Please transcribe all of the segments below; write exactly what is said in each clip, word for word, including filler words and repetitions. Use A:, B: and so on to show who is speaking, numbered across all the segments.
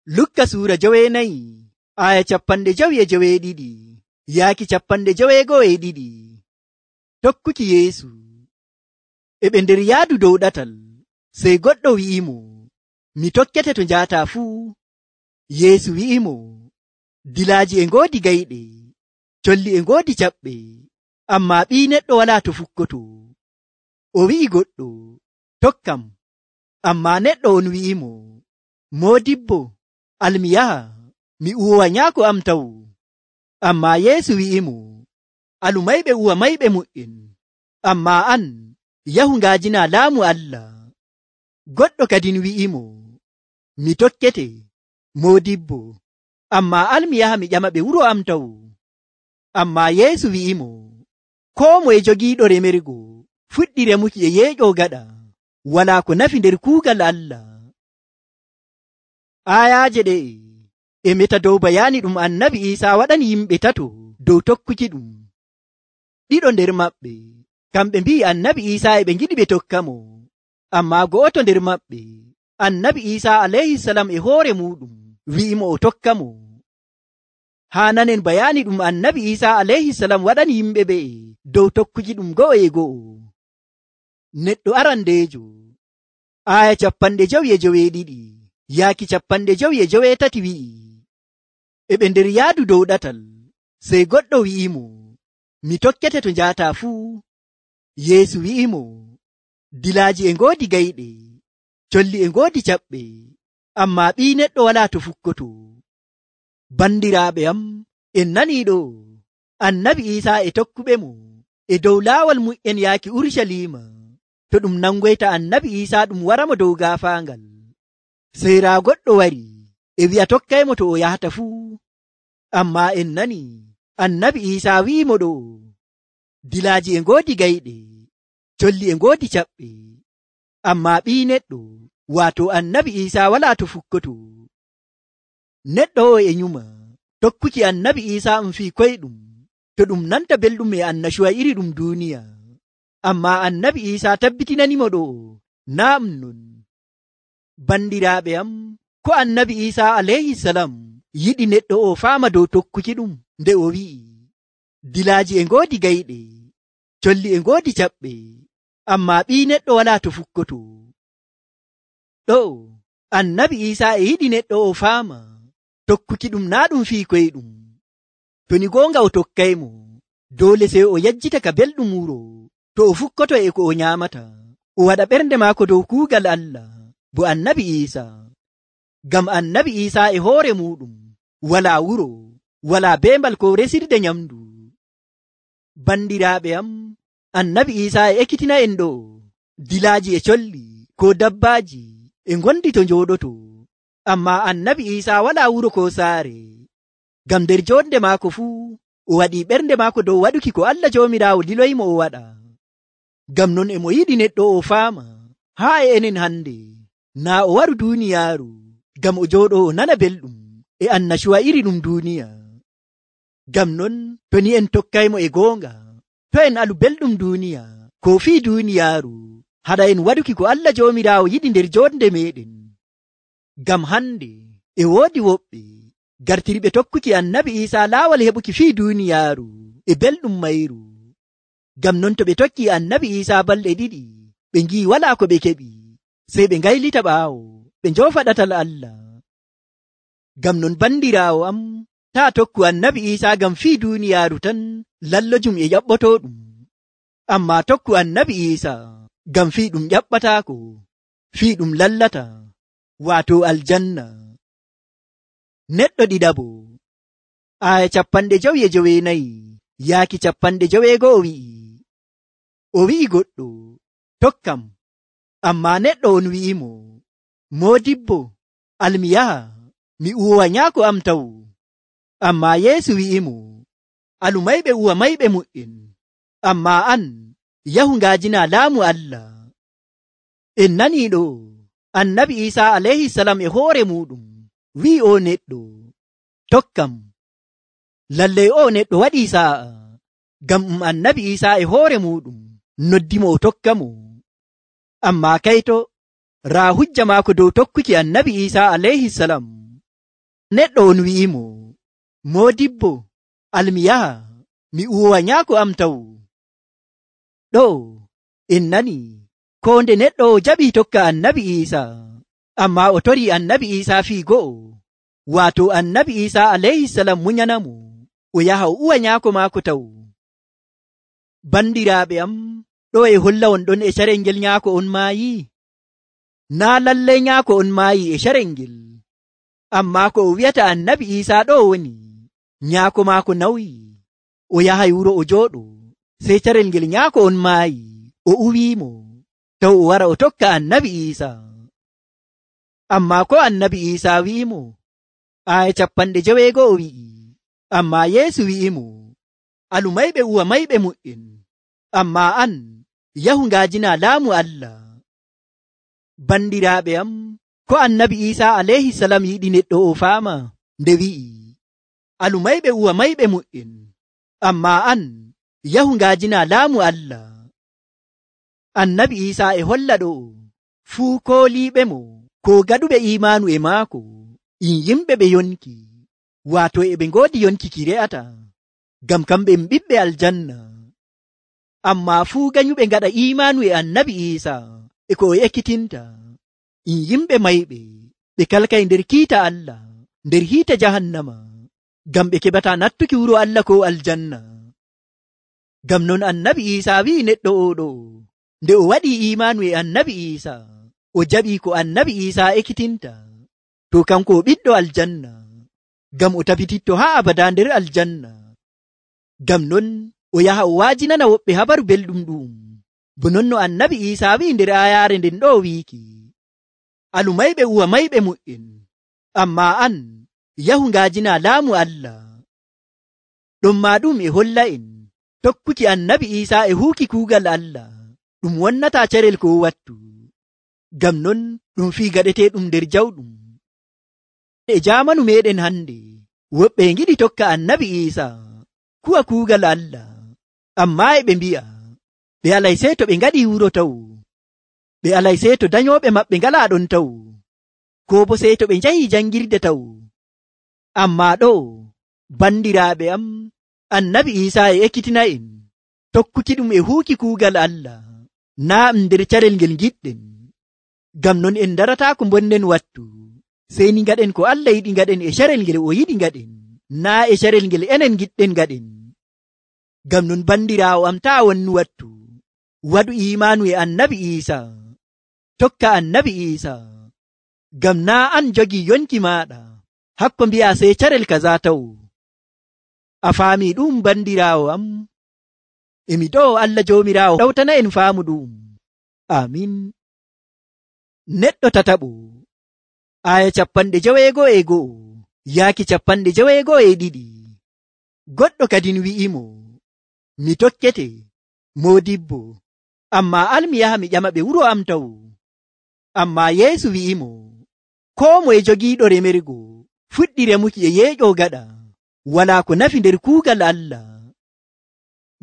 A: Lukka suura joweenayi aya capanɗe jowi e joweeɗiɗi yaaki capanɗe joweego'o e ɗiɗi. Tokkuki Yeesu. E ɓe nder yaadu dow ɗatal, sey goɗɗo wi'imo, mi tokkete to njaataa fuu. Yeesu wi'imo, dilaaji e ngoodi gayɗe, colli e ngoodi caɓɓe, ammaa Ɓii Neɗɗo walaa to fukkoto. O wi'i goɗɗo, tokkam. Ammaa neɗɗo on wi'imo, moodibbo, almi yaha, mi uwowa nyaako am taw. Ammaa Yeesu wi'imo, alu mayɓe uwa mayɓe mu'en, ammaa an yahu ngaajina laamu Allah. Goɗɗo kadin wi'imo, mi tokkete, moodibbo, ammaa almi yaha mi ƴama ɓe wuro am taw. Ammaa Yeesu wi'imo, koo moye jogiiɗo remergo fuɗɗi remuki e yeeƴoo gaɗa, walaa ko nafi nder kuugal Allah. Aayaaje ɗe'e e meta dow bayaani ɗum Annabi Iisaa waɗani yimɓe tato dow tokkuki ɗum. Ɗiɗo nder maɓɓe kamɓe mbi'i Annabi Iisaa e ɓe ngiɗi ɓe tokka mo, ammaa go'oto nder maɓɓe, Annabi Iisaa alayhisalam e hoore muɗum wi'imo o tokka mo. Haa nanen bayaani ɗum Annabi Iisaa alayhisalam waɗani yimɓe ɓe'e dow tokkuki ɗum go'o e go'o. Neɗɗo arandeejo aya capanɗe jowi e joweeɗiɗi yaaki capanɗe jowi e joweetati wi'i, e ɓe nder yaadu dow ɗatal, sey goɗɗo wi'imo, mi tokkete to njaataa fuu. Yeesu wi'imo, dilaaji e ngoodi gayɗe, colli e ngoodi caɓɓe, ammaa Ɓii Neɗɗo walaa to fukkoto. Bandiraaɓe am, en nanii ɗo, Annabi Iisaa e tokkuɓe mo e dow laawol mu'en yaaki Urucaliima, to ɗum nangoyta Annabi Iisaa ɗum waramo dow gaafaangal. Sey raa goɗɗo wari e wi'a tokkaymo to o yahata fuu. Ammaa en nani Annabi Iisaa wi'imo ɗo, dilaaji e ngoodi gayɗe, colli e ngoodi caɓɓe, ammaa Ɓii Neɗɗo, waato Annabi Iisaa walaa to fukkoto. Neɗɗo o e nyuma tokkuki Annabi Iisaa um fii koyɗum, to ɗum nanta belɗum e annashuwa iri ɗum duuniya. Ammaa Annabi Iisaa tabbitinanimo ɗo, naa ɗum non. Bandiraaɓe am, ko Annabi Iisaa alayhisalam yiɗi neɗɗo o faama dow tokkuki ɗum nde o wi'i, dilaaji e ngoodi gayɗe, colli e ngoodi caɓɓe, ammaa Ɓii Neɗɗo walaa to fukkoto. Ɗo Annabi Iisaa e yiɗi neɗɗo o faama tokkuki ɗum naa ɗum fii koyɗum. To ni goonga o tokkaymo, doole sey o yejjita ka belɗum wuro, to o fukkoto e ko o nyaamata, o waɗa ɓernde maako dow kuugal Allah, bo Annabi Iisaa. Ngam Annabi Iisaa e hoore muɗum walaa wuro, walaa beembal ko resirde nyamdu. Bandiraaɓe am, Annabi Iisaa e ekkitina en ɗo, dilaaji e colli ko dabbaaji e ngondi to njooɗoto, ammaa Annabi Iisaa walaa wuro ko saare. Ngam nder jonde maako fuu o waɗii ɓernde maako dow waɗuki ko Allah Joomiraawo liloyimo o waɗa. Ngam non e mo yiɗi neɗɗo o faama haa e enen hande, naa o waru duuniyaaru ngam o jooɗo o nana belɗum e annashuwa iri ɗum duuniya. Ngam non to ni en tokkaymo e goonga, to en alu belɗum duuniya ko fii duuniyaaru, haɗa en waɗuki ko Allah Joomiraawo yiɗi nder jonde meɗen. Ngam hande e woodi woɓɓe gartiriɓe tokkuki Annabi Iisaa laawol heɓuki fii duuniyaaru e belɗum mayru. Ngam non to ɓe tokki Annabi Iisaa balɗe ɗiɗi, ɓe ngi'i walaa ko ɓe keɓi, sey ɓe ngaylita ɓaawo ɓe njoofa ɗatal Allah. Ngam non bandiraawo am, taa tokku Annabi Iisaa ngam fii duuniyaaru tan lallojum e ƴaɓɓotooɗum, ammaa tokku Annabi Iisaa ngam fii ɗum ƴaɓɓataako, fii ɗum lallata, waato aljanna. Neɗɗo ɗiɗaɓo aya capanɗe jowi e joweenayi yaaki capanɗe joweego'o wi'i, o wi'i goɗɗo, tokkam. Ammaa neɗɗo on wi'imo, moodibbo, almi yaha, mi uwowa nyaako am taw. Ammaa Yeesu wi'imo, alu mayɓe uwa mayɓe mu'en, ammaa an yahu ngaajina laamu Allah. En nanii ɗo, Annabi Iisaa alayhisalam e hoore muɗum wi'i o neɗɗo, tokkam. Lallay o neɗɗo waɗii saa'a, ngam um Annabi Iisaa e hoore muɗum noddimo o tokka mo. Ammaa kayto raa hujja maako dow tokkuki Annabi Iisaa alayhisalam Neɗɗo on wi'imo, Moodibbo, almi yaha mi uwowa nyaako am taw. Ɗo en nani ko nde neɗɗo o jaɓi tokka annabi Isa, amma o tori annabi Isa fii go'o, waato annabi Isa alayhisalam munyanamo o yaha o uwa nyaako maako taw. Bandiraaɓe am, ɗo e holla on ɗon e carel ngel nyaako on maayi. Naa lallay nyaako on maayi e carel ngel, amma ko o wi'ata annabi Isa ɗo woni nyaako maako nawyi, o yahay wuro o jooɗo, sey carel ngel nyaako on maayi, o uwiimo taw o wara o tokka annabi Isa. Amma ko annabi Isa wi'imo, aya capanɗe jeweego'o wi'i, amma Yeesu wi'imo, alu mayɓe uwa mayɓe mu'en, amma an yahu ngaajina laamu Allah. Bandiraaɓe am, ko annabi Isa alayhisalam yiɗi neɗɗo o faama nde wi'i, alu mayɓe uwa mayɓe mu'en, amma an yahu ngaajina laamu Allah. Annabi Isa e holla ɗo fuu kooliiɓe mo ko gaɗuɓe imaanu e maako in yimɓe ɓe yonki, waato e ɓe ngoodi yonki ki re'ata, ngam kamɓe en ɓiɓɓe aljanna. Amma fuu ganyuɓe ngaɗa imaanu e annabi Isa e ko o ekkitinta, in yimɓe mayɓe ɓe kalkay nder kiita Allah, nder hiita jahannama, ngam ɓe keɓata nattuki wuro Allah ko aljanna. Ngam non annabi Isa wi'i neɗɗo oɗo, nde o waɗi imaanu e annabi Isa, o jaɓi ko annabi Isa ekkitinta, to kanko o ɓiɗɗo aljanna, ngam o tabititto haa abada nder aljanna. Ngam non o yaha o waajinana woɓɓe habaru belɗum ɗum, bo non no annabi Isa wi'i nder ayaare nden ɗo wiiki, alu mayɓe uwa mayɓe mu'en, amma an yahu ngaajina laamu Allah. Ɗum ma ɗum e holla en tokkuki annabi Isa e huuki kuugal Allah ɗum wonnata carel ko wattu, ngam non ɗum fii gaɗete ɗum nder jawɗum. E jaamanu meɗen hande woɓɓe ngiɗi tokka annabi Isa kuwa kuugal Allah, amma e ɓe mbi'a ɓe alay sey to ɓe ngaɗi wuro taw, ɓe alay sey to dayoɓe maɓɓe ngala ɗon taw, ko bo sey to ɓe njahi jangirde taw. Amma ɗo bandiraaɓe am, annabi Isa e ekkitina en tokkuki ɗum e huuki kuugal Allah, naa nder carel ngel giɗɗen. Ngam non en darata ko bonnen wattu, sey ni ngaɗen ko Allah yiɗi ngaɗen e carel ngel o yiɗi ngaɗen, naa e carel ngel enen giɗɗen ngaɗen. Ngam non bandiraawo am, taa wonnu wattu, waɗu imaanu e annabi Isa, tokka annabi Isa, ngam naa an jogii yonki maaɗa hakko mbi'a sey carel kaza taw. A faami ɗum bandiraawo am? Emi ɗo Allah joomiraawo ɗawtana en faamu ɗum. Amin. Neɗɗo tataɓo, aya capanɗe jeweego'o e go'o yaaki capanɗe jeweego'o e ɗiɗi. Goɗɗo kadin wi'imo, mi tokkete Moodibbo, amma almi yaha mi ƴama ɓe wuro am taw. Amma Yeesu wi'imo, koo moye jogiiɗo remergo fuɗɗi remuki e yeeƴo gaɗa, walaa ko nafi nder kuugal Allah.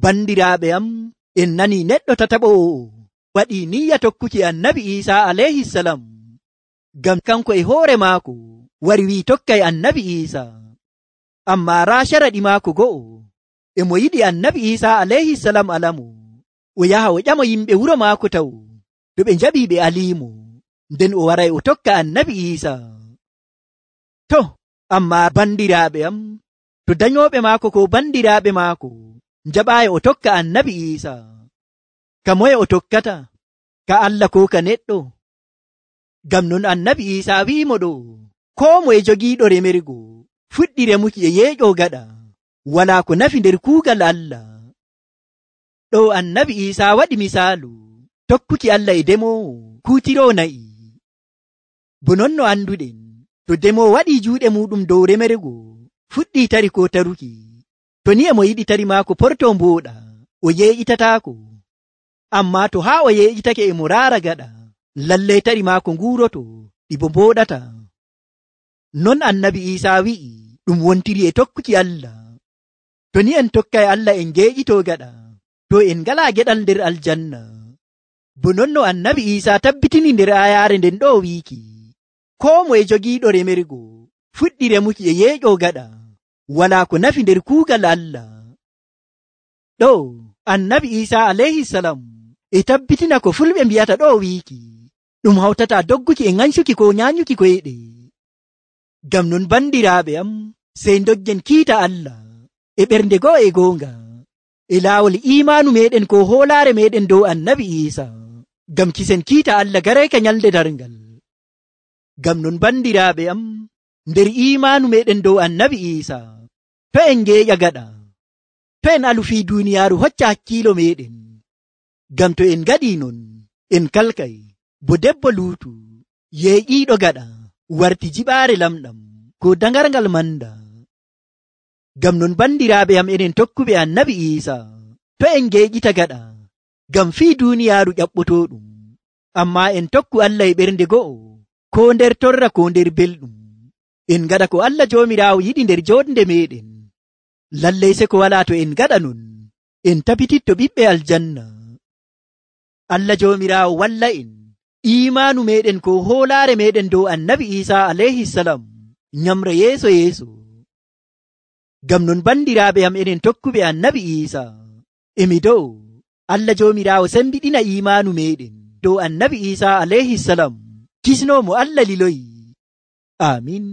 A: Bandiraaɓe am, en nani neɗɗo tataɓo o waɗi niyya tokkuki annabi Isa alayhisalam, ngam kanko e hoore maako wari wi tokkay annabi Isa. Amma raa sharaɗi maako go'o, e mo yiɗi annabi Isa alayhisalam alamo, o yaha o ƴama yimɓe wuro maako taw, to ɓe njaɓi ɓe aliimo, nden o waray o tokka annabi Isa. To, amma bandiraaɓe am, to dayoɓe maako ko bandiraaɓe maako njaɓaayi o tokka annabi Isa, ka moye o tokkata? Ka Allah ko ka neɗɗo? Ngam non annabi Isa wi'imo ɗo, koo moye jogiiɗo remergo fuɗɗi remuki e yeeƴo gaɗa, walaa ko nafi nder kuugal Allah. Ɗo annabi Isa waɗi misaalu tokkuki Allah e demowo kuutiroo na'i. Bo non no anduɗen, to demowo waɗi juuɗe muɗum dow remergo fuɗɗi tari ko taruki, to ni e mo yiɗi tari maako porto mbooɗa, o yeeƴitataako. Amma to haa o yeeƴitake e mo raara gaɗa, lallay tari maako nguuroto ɗi bo mbooɗata. Non annabi Isa wi'i ɗum wontiri e tokkuki Allah. To ni en tokkay Allah en geeƴitoo gaɗa, to en ngalaa geɗal nder aljanna. Bo non no annabi Isa tabbitini nder ayaare nden ɗo wiiki, koo moye jogiiɗo remergo fuɗɗi remuki e yeeƴo gaɗa walaa ko nafi nder kuugal Allah. Ɗo annabi Isa alayhi salam e tabbitina ko fulɓe mbiyata ɗo wiiki ɗum hawtata dogguki e ŋancuki ko nyaanyuki koyɗe. Ngam non bandiraaɓe am, sey doggen kiita Allah e ɓernde go'o e goonga e laawol imaanu meɗen ko hoolaare meɗen dow annabi Isa, ngam kisen kiita Allah garayka nyalde darngal. Ngam non bandiraaɓe am, nder imaanu meɗen dow annabi Isa, to en ngeeƴa gaɗa, to en alu fii duuniyaaru hocca hakkiilo meɗen. Ngam to en gaɗii non, en kalkay bo debbo luutu yeeƴiiɗo gaɗa warti jiɓaare lamɗam ko dangargal manda. Ngam non bandiraaɓe am, enen tokkuɓe annabi Isa, to en ngeeƴita gaɗa ngam fii duuniyaaru ƴaɓɓotooɗum, amma en tokku Allah e ɓernde go'o, ko nder torra ko nder belɗum. En gaɗa ko Allah Joomiraawo yiɗi nder jooɗnde meɗen. Lallay se ko walaa to en gaɗa non, en tabititto ɓiɓɓe aljanna. Allah Joomiraawo walla en imaanu meɗen ko hoolaare meɗen dow annabi Isa alayhi salam nyamra yeeso yeeso. Ngam non bandiraaɓe am, enen tokkuɓe annabi Isa, emi dow Allah Joomiraawo sembiɗina imaanu meɗen dow annabi Isa alayhi salam kisnoomo Allah liloyi. Amin.